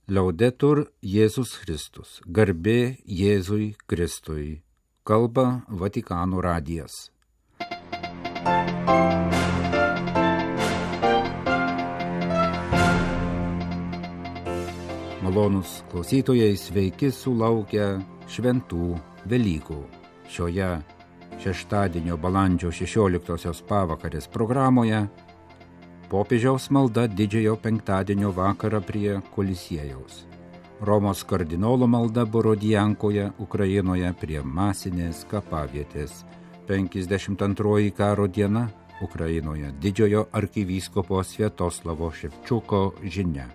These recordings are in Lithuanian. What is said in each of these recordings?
Liaudetur Jėzus Kristus, garbė Jėzui Kristui, kalba Vatikano radijas. Malonūs klausytojai, sveiki sulaukę šventų Velykų. Šioje šeštadienio balandžio 16 pavakarės programoje popiežiaus malda didžiojo penktadienio vakarą prie Kolisiejaus. Romos kardinolo malda Borodiankoje, Ukrainoje prie masinės kapavietės. 52 karo diena Ukrainoje didžiojo arkivyskupo Sviatoslavo Ševčiuko žinia.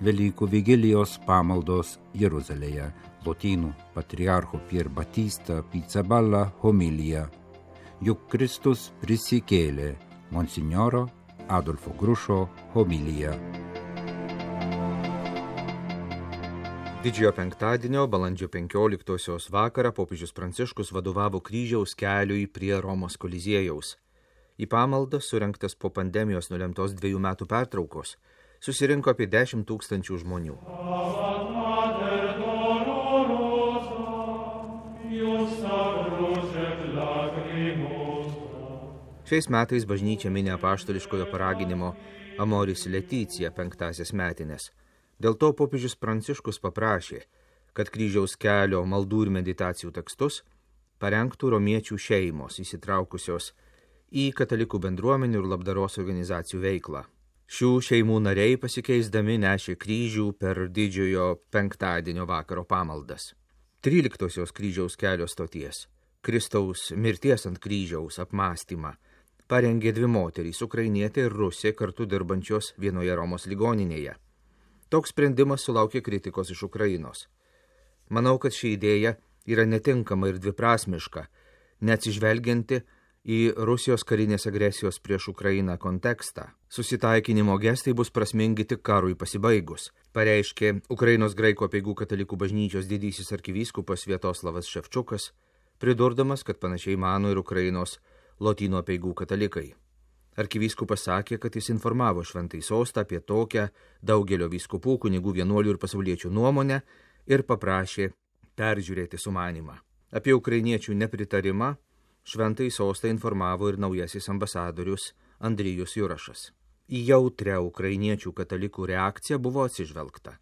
Velykų vigilijos pamaldos Jeruzalėje. Lotynų patriarcho Pier Batista Pizzaballa homilija. Juk Kristus prisikėlė. Monsinjoro Adolfo Grušo homilija. Didžiojo penktadienio balandžio 15 vakarą popiežius Pranciškus vadovavo kryžiaus keliui prie Romos Koliziejaus. Į pamaldą, surengtas po pandemijos nulemtos 2 metų pertraukos, susirinko apie 10 000 žmonių. Šiais metais bažnyčia mini apaštališkojo paraginimo Amoris Laetitia 5 metines. Dėl to popiežius Pranciškus paprašė, kad kryžiaus kelio maldų ir meditacijų tekstus parengtų romiečių šeimos įsitraukusios į katalikų bendruomenių ir labdaros organizacijų veiklą. Šių šeimų nariai pasikeisdami nešė kryžių per didžiojo penktadienio vakaro pamaldas. 13 kryžiaus kelio stoties, Kristaus mirties ant kryžiaus apmąstymą, parengė 2 moterys, ukrainietė ir rusė, kartu dirbančios vienoje Romos ligoninėje. Toks sprendimas sulaukė kritikos iš Ukrainos. Manau, kad ši idėja yra netinkama ir dviprasmiška, neatsižvelgianti į Rusijos karinės agresijos prieš Ukrainą kontekstą. Susitaikinimo gestai bus prasmingi tik karui pasibaigus, pareiškė Ukrainos graikų apeigų katalikų bažnyčios didysis arkivyskupas Sviatoslavas Ševčiukas, pridurdamas, kad panašiai mano ir Ukrainos Lotynų apeigų katalikai. Arkivyskupas sakė, kad jis informavo Šventąjį sostą apie tokią daugelio vyskupų, kunigų, vienuolių ir pasauliečių nuomonę ir paprašė peržiūrėti sumanymą. Apie ukrainiečių nepritarimą Šventąjį sostą informavo ir naujasis ambasadorius Andrijus Jurašas. Į jautrią ukrainiečių katalikų reakciją buvo atsižvelgta.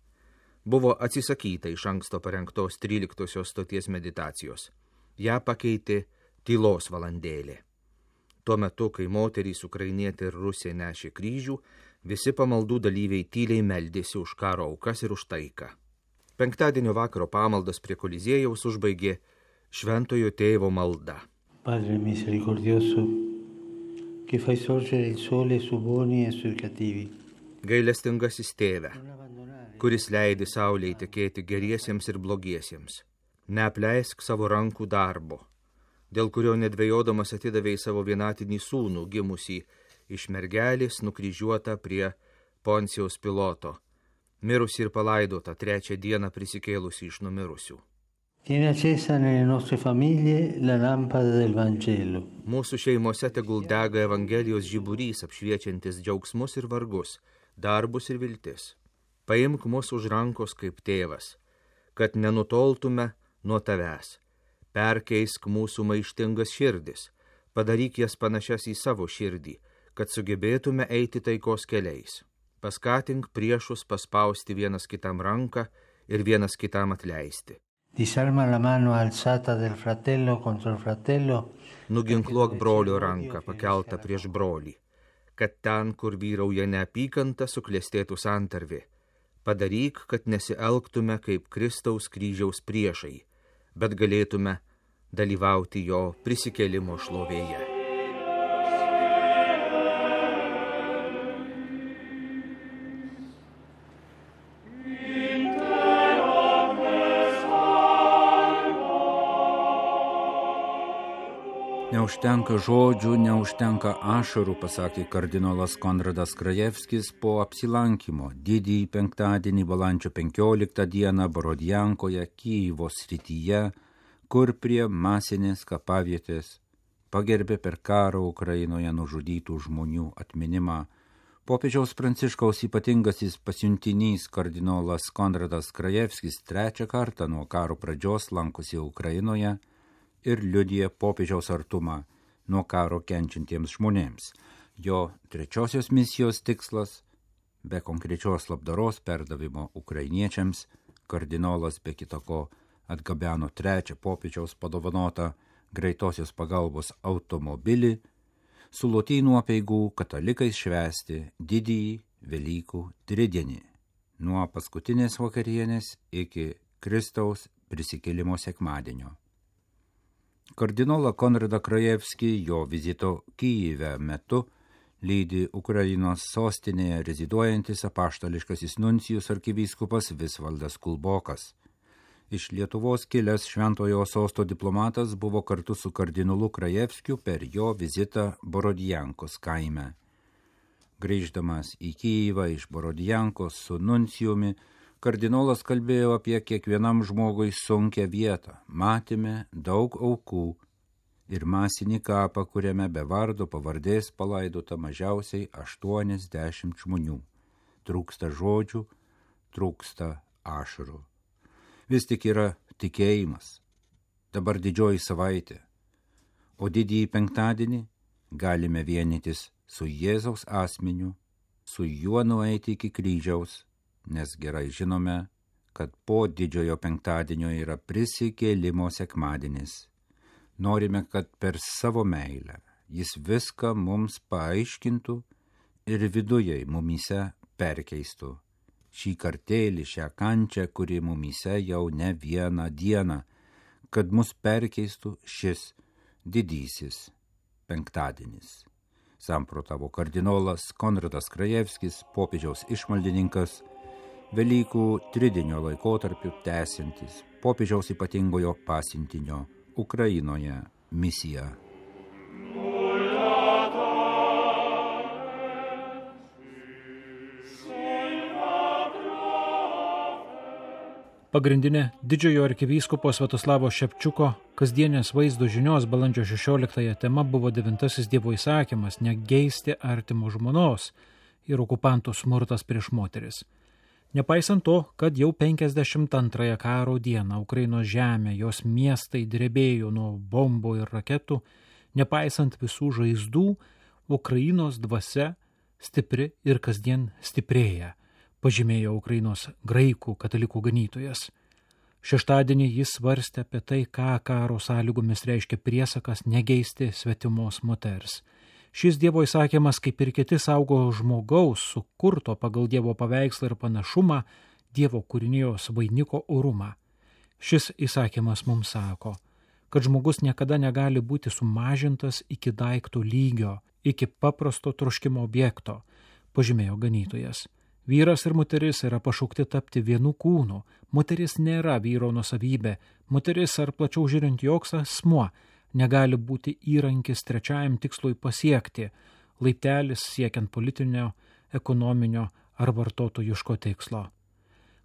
Buvo atsisakyta iš anksto parengtos 13 stoties meditacijos. Ja pakeitė tylos valandėlė. Tuo metu, kai moterys, ukrainietė ir rusė nešė kryžių, visi pamaldų dalyviai tyliai meldėsi už karo aukas ir už taiką. Penktadienio vakaro pamaldas prie Koliziejaus užbaigė Šventojo Tėvo malda. Padre misericordioso, che fai sorgere il sole su buoni e sui cattivi. Gailestingasis Tėve, kuris leidi saulei tekėti geriesiems ir blogiesiems. Neapleisk savo rankų darbo, dėl kurio nedvejodamas atidavei savo vienatinį sūnų, gimusį iš mergelės, nukryžiuotą prie Poncijaus Piloto, mirusį ir palaidotą 3 dieną prisikėlusį iš numirusių. Tieni accesa nelle nostre famiglie la lampada del Vangelo. Mūsų šeimose tegul dega Evangelijos žiburys, apšviečiantis džiaugsmus ir vargus, darbus ir viltis. Paimk mus už rankos kaip tėvas, kad nenutoltume nuo tavęs. Perkeisk mūsų maištingas širdis, padaryk jas panašias į savo širdį, kad sugebėtume eiti taikos keliais. Paskatink priešus paspausti vienas kitam ranką ir vienas kitam atleisti. Disarma la mano alzata del fratello contro il fratello. Nuginkluok brolio ranką pakeltą prieš brolį, kad ten, kur vyrauja neapykanta, suklestėtų santarvė. Padaryk, kad nesielgtume kaip Kristaus kryžiaus priešai, bet galėtume dalyvauti jo prisikėlimo šlovėje. Neužtenka žodžių, neužtenka ašarų, pasakė kardinolas Konradas Krajevskis po apsilankymo didįjį penktadienį balandžio 15 dieną Borodiankoje, Kyjivo srityje, kur prie masinės kapavietės pagerbė per karą Ukrainoje nužudytų žmonių atminimą Popiežiaus Pranciškaus ypatingasis pasiuntinys kardinolas Konradas Krajevskis 3 kartą nuo karo pradžios lankosi Ukrainoje ir liudija popiežiaus artumą nuo karo kenčiantiems žmonėms. Jo 3 misijos tikslas, be konkrečios labdaros perdavimo ukrainiečiams, kardinolas be kitako atgabeno 3 popiežiaus padovanotą greitosios pagalbos automobilį, su lotynų apeigų katalikais švęsti didįjį Velykų tridienį, nuo paskutinės vakarienės iki Kristaus prisikėlimo sekmadienio. Kardinolą Konradą Krajevskį jo vizito Kyjive metu lydi Ukrainos sostinėje reziduojantis apaštališkasis nuncijus arkivyskupas Visvaldas Kulbokas. Iš Lietuvos kilęs Šventojo Sosto diplomatas buvo kartu su kardinolu Krajevskiu per jo vizitą Borodjankos kaime. Grįždamas į Kyjivą iš Borodjankos su nuncijumi, kardinolas kalbėjo apie kiekvienam žmogui sunkią vietą. Matėme daug aukų ir masinį kapą, kuriame be vardo pavardės palaidota mažiausiai 80 žmonių. Trūksta žodžių, trūksta ašarų. Vis tik yra tikėjimas. Dabar didžioji savaitė, o didįjį penktadienį galime vienytis su Jėzaus asmeniu, su juo nueiti iki kryžiaus, nes gerai žinome, kad po didžiojo penktadienio yra prisikėlimo sekmadienis. Norime, kad per savo meilę jis viską mums paaiškintų ir viduje mumyse perkeistų. Šį kartėlį, šią kančią, kuri mumyse jau ne vieną dieną, kad mus perkeistų šis didysis penktadienis. Samprotavo kardinolas Konradas Krajevskis, popiežiaus išmaldininkas, Velykų tridienio laikotarpiu tęsiantis popiežiaus ypatingojo pasiuntinio Ukrainoje misiją. Pagrindinė didžiojo arkivyskupo Sviatoslavo Šepčiuko kasdienės vaizdo žinios balandžio 16 tema buvo 9 Dievo įsakymas negeisti artimo žmonos ir okupantų smurtas prieš moteris. Nepaisant to, kad jau 52 karo dieną Ukrainos žemė, jos miestai drebėjo nuo bombų ir raketų, nepaisant visų žaizdų, Ukrainos dvasia stipri ir kasdien stiprėja, pažymėjo Ukrainos graikų katalikų ganytojas. Šeštadienį jis svarstė apie tai, ką karo sąlygomis reiškia priesakas negeisti svetimos moters. Šis Dievo įsakymas, kaip ir kiti, saugo žmogaus, sukurto pagal Dievo paveikslą ir panašumą, Dievo kūrinijos vainiko orumą. Šis įsakymas mums sako, kad žmogus niekada negali būti sumažintas iki daikto lygio, iki paprasto troškimo objekto, pažymėjo ganytojas. Vyras ir moteris yra pašaukti tapti vienu kūnu. Moteris nėra vyro nuosavybė. Moteris, ar plačiau žiūrint, joks asmuo negali būti įrankis trečiajam tikslui pasiekti, laiptelis siekiant politinio, ekonominio ar vartotojiško tikslo.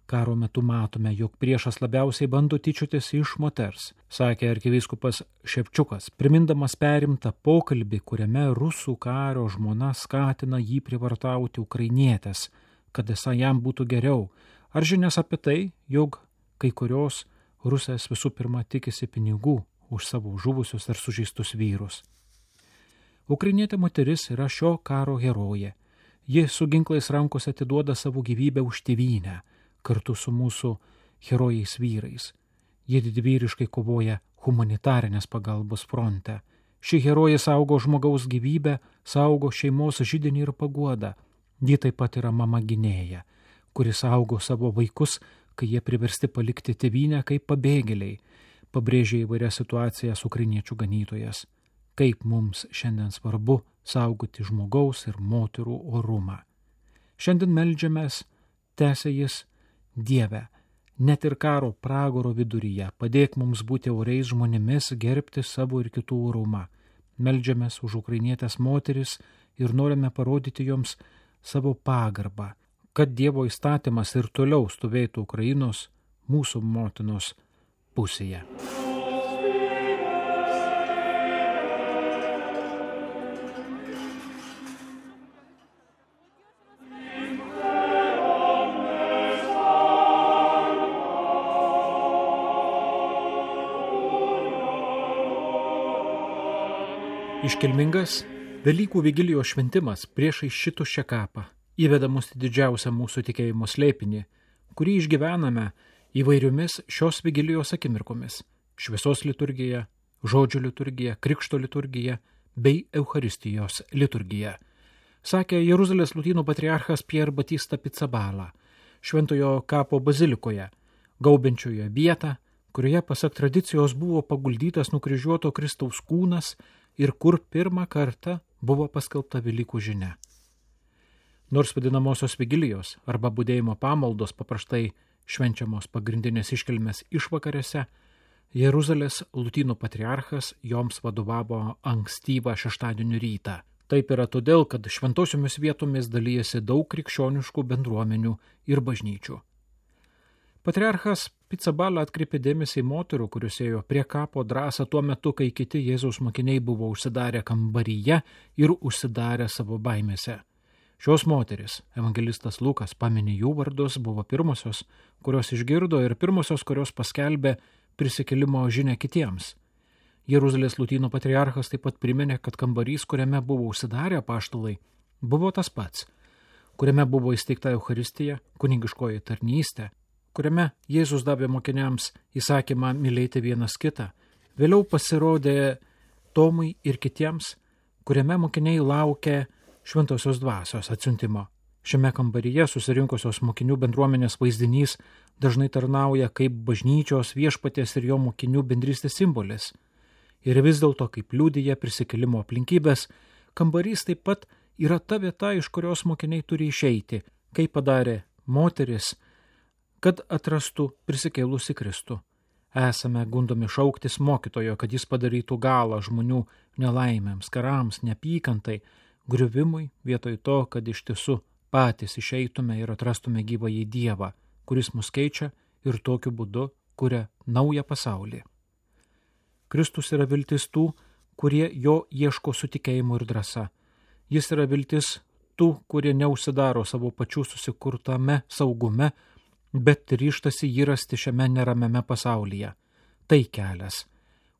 Karo metu matome, jog priešas labiausiai bando tyčiotis iš moters, sakė arkivyskupas Šepčiukas, primindamas perimtą pokalbį, kuriame rusų kario žmona skatina jį privartauti ukrainietės, kad esą jam būtų geriau, ar žinias apie tai, jog kai kurios rusės visų pirma tikisi pinigų už savo žuvusius ar sužeistus vyrus. Ukrainietė moteris yra šio karo herojė. Ji su ginklais rankose atiduoda savo gyvybę už tėvynę, kartu su mūsų herojais vyrais. Ji didvyriškai kovoja humanitarinės pagalbos fronte. Ši herojė saugo žmogaus gyvybę, saugo šeimos židinį ir paguodą. Ji taip pat yra mama gynėja, kuri saugo savo vaikus, kai jie priversti palikti tėvynę kaip pabėgėliai, pabrėžė įvairias situacijas ukrainiečių ganytojas. Kaip mums šiandien svarbu saugoti žmogaus ir moterų orumą. Šiandien meldžiamės, tęsė jis, Dieve, net ir karo pragaro viduryje padėk mums būti oriais žmonėmis, gerbti savo ir kitų orumą. Meldžiamės už ukrainietės moteris ir norime parodyti joms savo pagarbą, kad Dievo įstatymas ir toliau stovėtų Ukrainos, mūsų motinos pusėje. Iškilmingas Velykų vigilijos šventimas priešais šituščią kapą įveda mus į didžiausią mūsų tikėjimo slėpinį, kurį išgyvename įvairiomis šios vigilijos akimirkomis – šviesos liturgija, žodžio liturgija, krikšto liturgija bei Eucharistijos liturgija. Sakė Jeruzalės lotynų patriarchas Pier Batista Pizzaballa, šventojo kapo bazilikoje, gaubiančioje vietą, kurioje pasak tradicijos buvo paguldytas nukryžiuoto Kristaus kūnas ir kur pirmą kartą buvo paskelbta Velykų žinia. Nors vadinamosios vigilijos arba budėjimo pamaldos paprastai švenčiamos pagrindinės iškilmės išvakarėse, Jeruzalės lotynų patriarchas joms vadovavo ankstyvą šeštadienio rytą. Taip yra todėl, kad šventosiomis vietomis dalyjasi daug krikščioniškų bendruomenių ir bažnyčių. Patriarchas Pizzaballa atkreipė dėmesį į moterų, kurios ėjo prie kapo drąsą tuo metu, kai kiti Jėzaus mokiniai buvo užsidarę kambaryje ir užsidarę savo baimėse. Šios moteris, evangelistas Lukas pamini jų vardus, buvo pirmosios, kurios išgirdo ir pirmosios, kurios paskelbė prisikėlimo žinią kitiems. Jeruzalės lotynų patriarchas taip pat priminė, kad kambarys, kuriame buvo užsidarę apaštalai, buvo tas pats, kuriame buvo įsteigta Eucharistija, kunigiškoji tarnystė, kuriame Jėzus davė mokiniams įsakymą mylėti vienas kitą. Vėliau pasirodė Tomui ir kitiems, kuriame mokiniai laukė šventosios dvasios atsiuntimo. Šiame kambaryje susirinkusios mokinių bendruomenės vaizdinys dažnai tarnauja kaip bažnyčios, viešpaties ir jo mokinių bendrystės simbolis. Ir vis dėlto, kaip liudija prisikėlimo aplinkybės, kambarys taip pat yra ta vieta, iš kurios mokiniai turi išeiti, kaip padarė moteris, kad atrastų prisikėlusi Kristų. Esame gundomi šauktis mokytojo, kad jis padarytų galą žmonių nelaimėms, karams, neapykantai, griuvimui, vietoj to, kad iš tiesų patys išeitume ir atrastume gyvąjį Dievą, kuris mus keičia ir tokiu būdu kuria naują pasaulį. Kristus yra viltis tų, kurie jo ieško su tikėjimu ir drąsa. Jis yra viltis tų, kurie neužsidaro savo pačių susikurtame saugume, bet ryžtasi jį rasti šiame neramiame pasaulyje. Tai kelias,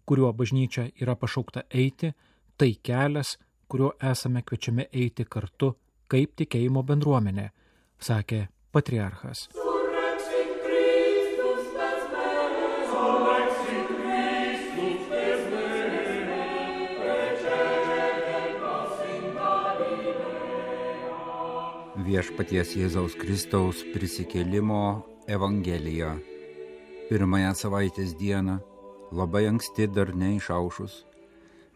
kuriuo bažnyčia yra pašaukta eiti, tai kelias, kuriuo esame kviečiami eiti kartu kaip tikėjimo bendruomenė, sakė patriarchas. Viešpaties Jėzaus Kristaus prisikėlimo Evangelija. Pirmąją savaitės dieną, labai anksti dar neišaušus,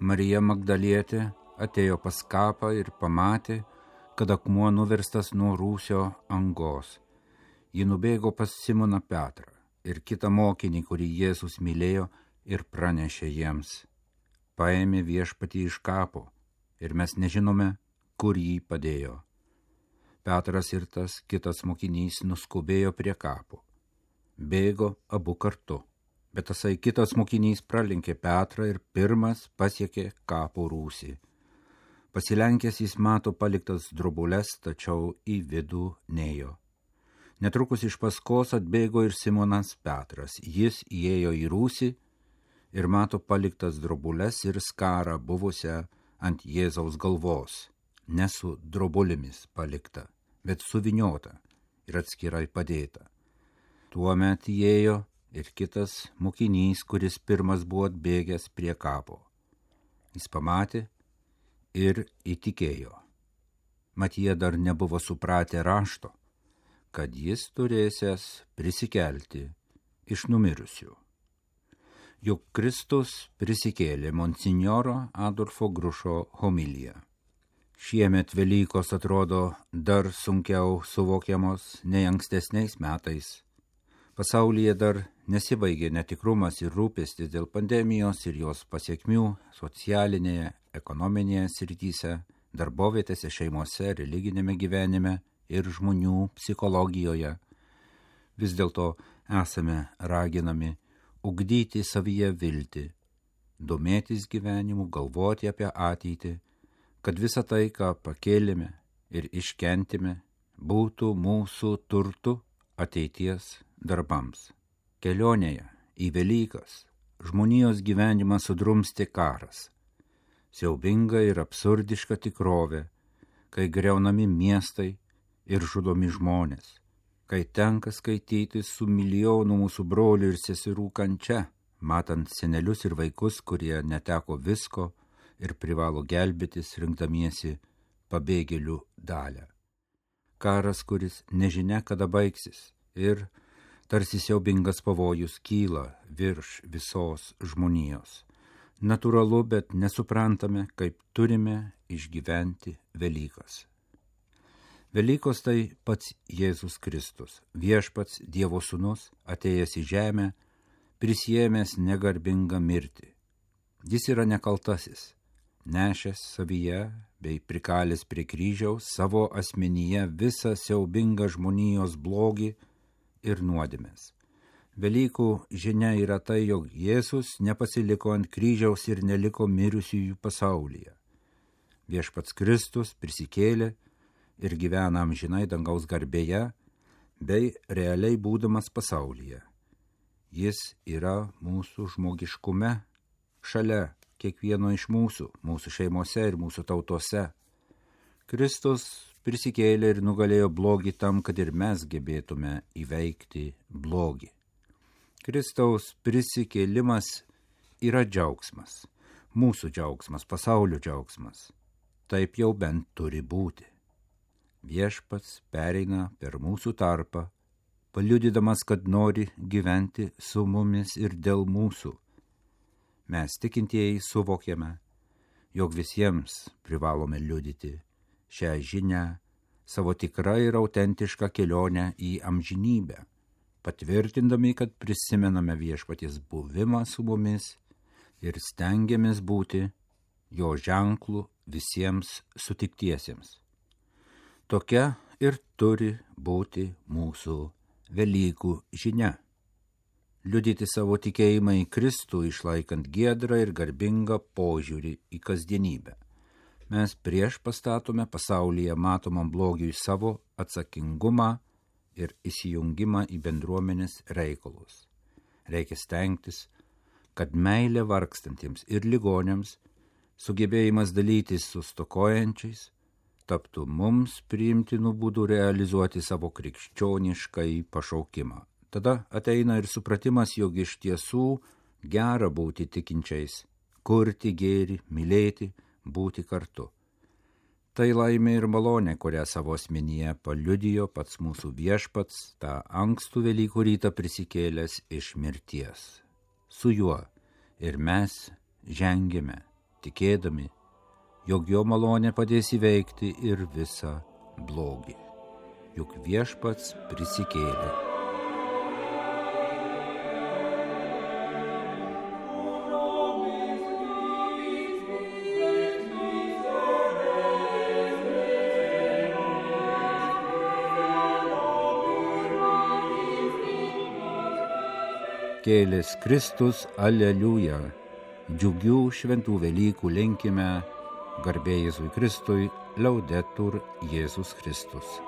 Marija Magdalietė atėjo pas kapą ir pamatė, kad akmuo nuverstas nuo rūsio angos. Ji nubėgo pas Simoną Petrą ir kitą mokinį, kurį Jėzus mylėjo, ir pranešė jiems: paėmė viešpatį iš kapo ir mes nežinome, kur jį padėjo. Petras ir tas kitas mokinys nuskubėjo prie kapo. Bėgo abu kartu, bet tasai kitas mokinys pralenkė Petrą ir pirmas pasiekė kapo rūsį. Pasilenkęs jis mato paliktas drobules, tačiau į vidų nėjo. Netrukus iš paskos atbėgo ir Simonas Petras. Jis įėjo į rūsį ir mato paliktas drobules ir skarą buvusią ant Jėzaus galvos. Ne su drobulėmis palikta, bet suvyniota ir atskirai padėta. Tuomet įėjo ir kitas mokinys, kuris pirmas buvo atbėgęs prie kapo. Jis pamatė ir įtikėjo. Mat jie dar nebuvo supratę rašto, kad jis turėsęs prisikelti iš numirusių. Juk Kristus prisikėlė monsinjoro Adolfo Grušo homilija. Šiemet Velykos atrodo dar sunkiau suvokiamos nei ankstesniais metais. Pasaulyje dar nesibaigė netikrumas ir rūpestis dėl pandemijos ir jos pasiekmių socialinėje, ekonominėje srityse, darbovietėse, šeimose, religinėme gyvenime ir žmonių psichologijoje. Vis dėlto esame raginami ugdyti savyje viltį, domėtis gyvenimu, galvoti apie ateitį, kad visa tai, ką pakėlėme ir iškentėme, būtų mūsų turtu ateities darbams. Kelionėje į Velykas žmonijos gyvenimą sudrumstė karas. siaubinga ir absurdiška tikrovė, kai greunami miestai ir žudomi žmonės, kai tenka skaityti su milijonų mūsų brolių ir seserų kančia, matant senelius ir vaikus, kurie neteko visko ir privalo gelbėtis rinkdamiesi pabėgėlių dalią. Karas, kuris nežinia kada baigsis ir tarsi siaubingas pavojus kyla virš visos žmonijos. Natūralu, bet nesuprantame, kaip turime išgyventi Velykas. Velykos tai pats Jėzus Kristus, viešpats Dievo sūnus, atėjęs į žemę, prisiėmęs negarbingą mirtį. Jis yra nekaltasis, nešęs savyje bei prikalęs prie kryžiaus savo asmenyje visą siaubingą žmonijos blogį ir nuodėmes. Velykų žinia yra tai, jog Jėzus nepasiliko ant kryžiaus ir neliko mirusiųjų pasaulyje. Viešpats Kristus prisikėlė ir gyvena amžinai dangaus garbėje, bei realiai būdamas pasaulyje. Jis yra mūsų žmogiškume, šalia kiekvieno iš mūsų šeimose ir mūsų tautose. Kristus prisikėlė ir nugalėjo blogį tam, kad ir mes gebėtume įveikti blogį. Kristaus prisikėlimas yra džiaugsmas, mūsų džiaugsmas, pasaulio džiaugsmas. Taip jau bent turi būti. Viešpats pereina per mūsų tarpą, paliudydamas, kad nori gyventi su mumis ir dėl mūsų. Mes tikintieji suvokiame, jog visiems privalome liudyti šią žinią, savo tikrą ir autentišką kelionę į amžinybę, patvirtindami, kad prisimename viešpaties buvimą su mumis ir stengiamės būti jo ženklų visiems sutiktiesiems. Tokia ir turi būti mūsų Velykų žinia. Liudyti savo tikėjimą į Kristų, išlaikant giedrą ir garbingą požiūrį į kasdienybę. Mes prieš pastatome pasaulyje matomam blogiui savo atsakingumą ir įsijungimą į bendruomenės reikalus. Reikia stengtis, kad meilė vargstantiems ir ligoniams, sugebėjimas dalytis su stokojančiais, taptų mums priimtinų būdų realizuoti savo krikščioniškai pašaukimą. Tada ateina ir supratimas, jog iš tiesų gera būti tikinčiais, kurti gėrį, mylėti, būti kartu. Tai laimė ir malonė, kurią savo asmenyje paliudijo pats mūsų viešpats, tą ankstų Velykų rytą prisikėlęs iš mirties. Su juo ir mes žengėme, tikėdami, jog jo malonė padės įveikti ir visą blogį. Juk viešpats prisikėlė. Kėlės Kristus, aleliuja, džiugių šventų Velykų linkime, garbė Jėzui Kristui, laudetur Jėzus Kristus.